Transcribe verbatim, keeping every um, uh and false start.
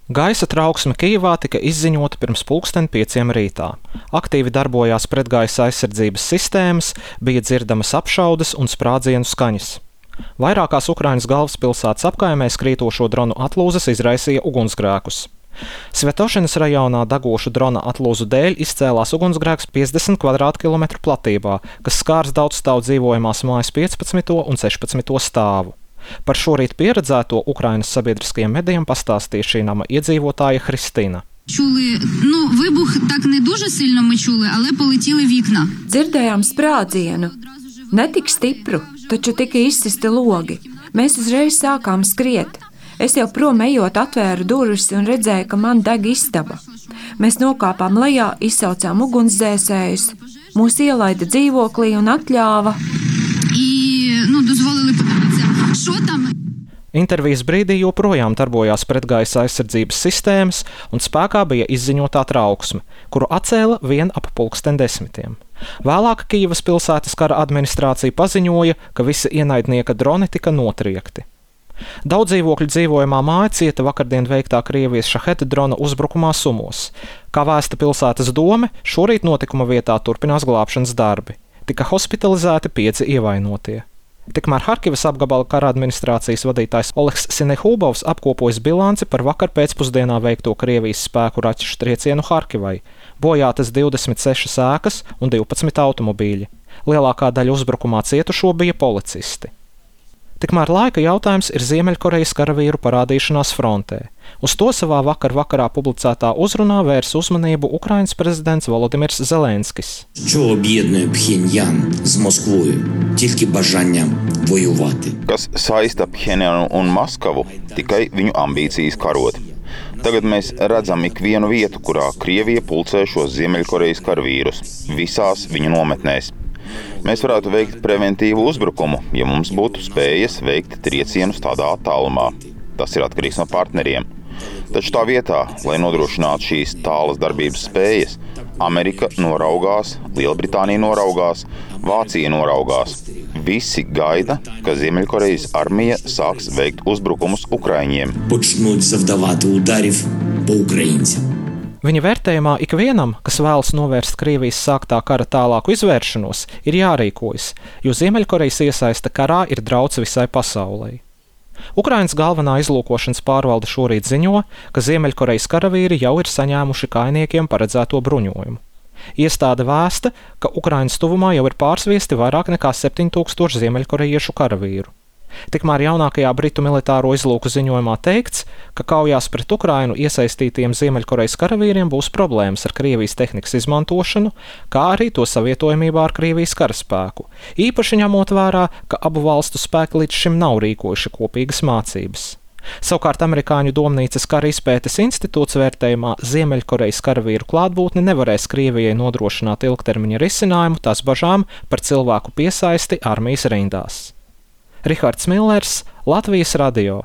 Gaisa trauksme Kijevā tika izziņota pirms pulksten pieciem rītā. Aktīvi darbojās pretgaisa aizsardzības sistēmas, bija dzirdamas apšaudes un sprādzienu skaņas. Vairākās Ukrainas galvaspilsētas apkaimēs krītošo dronu atlūzas izraisīja ugunsgrēkus. Svetošinas rajonā degošu drona atlūzu dēļ izcēlās ugunsgrēks piecdesmit kvadrātkilometru platībā, kas skārs daudzstāvu dzīvojamās mājas piecpadsmito un sešpadsmito stāvu. Par šorīt pieredzēto Ukrainas sabiedriskajiem medijiem pastāstīja šī nama iedzīvotāja Hristina. Чули, ну, вибух так не дуже сильно ми чули, але полетіли вікна. Dzirdējām sprādzienu. Ne tik stipru, taču tika izsisti logi. Mēs uzreiz sākām skriet. Es jau prom ejot atvēru durvis un redzēju, ka man deg istaba. Mēs nokāpām lejā, izsaucām ugunsdzēsējus, mūs ielaida dzīvoklī un atļāva. І, ну, дозволили подивитися, що там. Intervijas brīdī joprojām darbojās pretgaisa aizsardzības sistēmas un spēkā bija izziņotā trauksme, kuru atcēla vien ap pulksten desmitiem. Vēlāk Kijevas pilsētas kara administrācija paziņoja, ka visi ienaidnieka droni tika notriekti. Daudz dzīvokļu dzīvojamā māja cieta vakardien veiktā Krievijas šaheta drona uzbrukumā Sumos. Kā vēsta pilsētas dome, šorīt notikuma vietā turpinās glābšanas darbi. Tika hospitalizēti pieci ievainotie. Tikmēr Harkivas apgabala kara administrācijas vadītājs Oleks Sinehubovs apkopojas bilanci par vakar pēcpusdienā veikto Krievijas spēku raķešu triecienu Harkivai. Bojātas divdesmit sešas ēkas un divpadsmit automobīļi. Lielākā daļa uzbrukumā cietušo bija policisti. Tikmēr laika jautājums ir Ziemeļkorejas karavīru parādīšanās frontē. Uz to savā vakar vakarā publicētā uzrunā vērs uzmanību Ukrainas prezidents Volodimirs Zelenskis. Що об'єднує Пхеньян з Москвою? Тільки бажання воювати. Kas saista Phenjanu un Maskavu, tikai viņu ambīcijas karot. Tagad mēs redzam ikvienu vietu, kurā Krievija pulcē šos Ziemeļkorejas karavīrus, visās viņu nometnēs. Mēs varētu veikt preventīvu uzbrukumu, ja mums būtu spējas veikt triecienus tādā attālumā. Tas ir atkarīgs no partneriem. Taču tā vietā, lai nodrošinātu šīs tālas darbības spējas, Amerika noraugās, Lielbritānija noraugās, Vācija noraugās. Visi gaida, ka Ziemeļkorejas armija sāks veikt uzbrukumus ukraiņiem. Почнуть завдавати ударів по українцям. Viņa vērtējumā ikvienam, kas vēlas novērst Krievijas sāktā kara tālāku izvēršanos, ir jārīkojas, jo Ziemeļkorejas iesaiste karā ir drauds visai pasaulei. Ukrainas galvenā izlūkošanas pārvalde šorīt ziņo, ka Ziemeļkorejas karavīri jau ir saņēmuši kainiekiem paredzēto bruņojumu. Iestāde vēsta, ka Ukrainas tuvumā jau ir pārsviesti vairāk nekā septiņi tūkstoši ziemeļkorejiešu karavīru. Tikmēr jaunākajā Britu militāro izlūku ziņojumā teikts, ka kaujās pret Ukrainu iesaistītiem Ziemeļkorejas karavīriem būs problēmas ar Krievijas tehnikas izmantošanu, kā arī to savietojamībā ar Krievijas karaspēku, īpaši ņemot vērā, ka abu valstu spēki līdz šim nav rīkojuši kopīgas mācības. Savukārt amerikāņu domnīcas kara izpētes institūts vērtējumā Ziemeļkorejas karavīru klātbūtne nevarēs Krievijai nodrošināt ilgtermiņa risinājumu tās bažām par cilvēku piesaisti armijas rindās. Rihards Millers, Latvijas radio.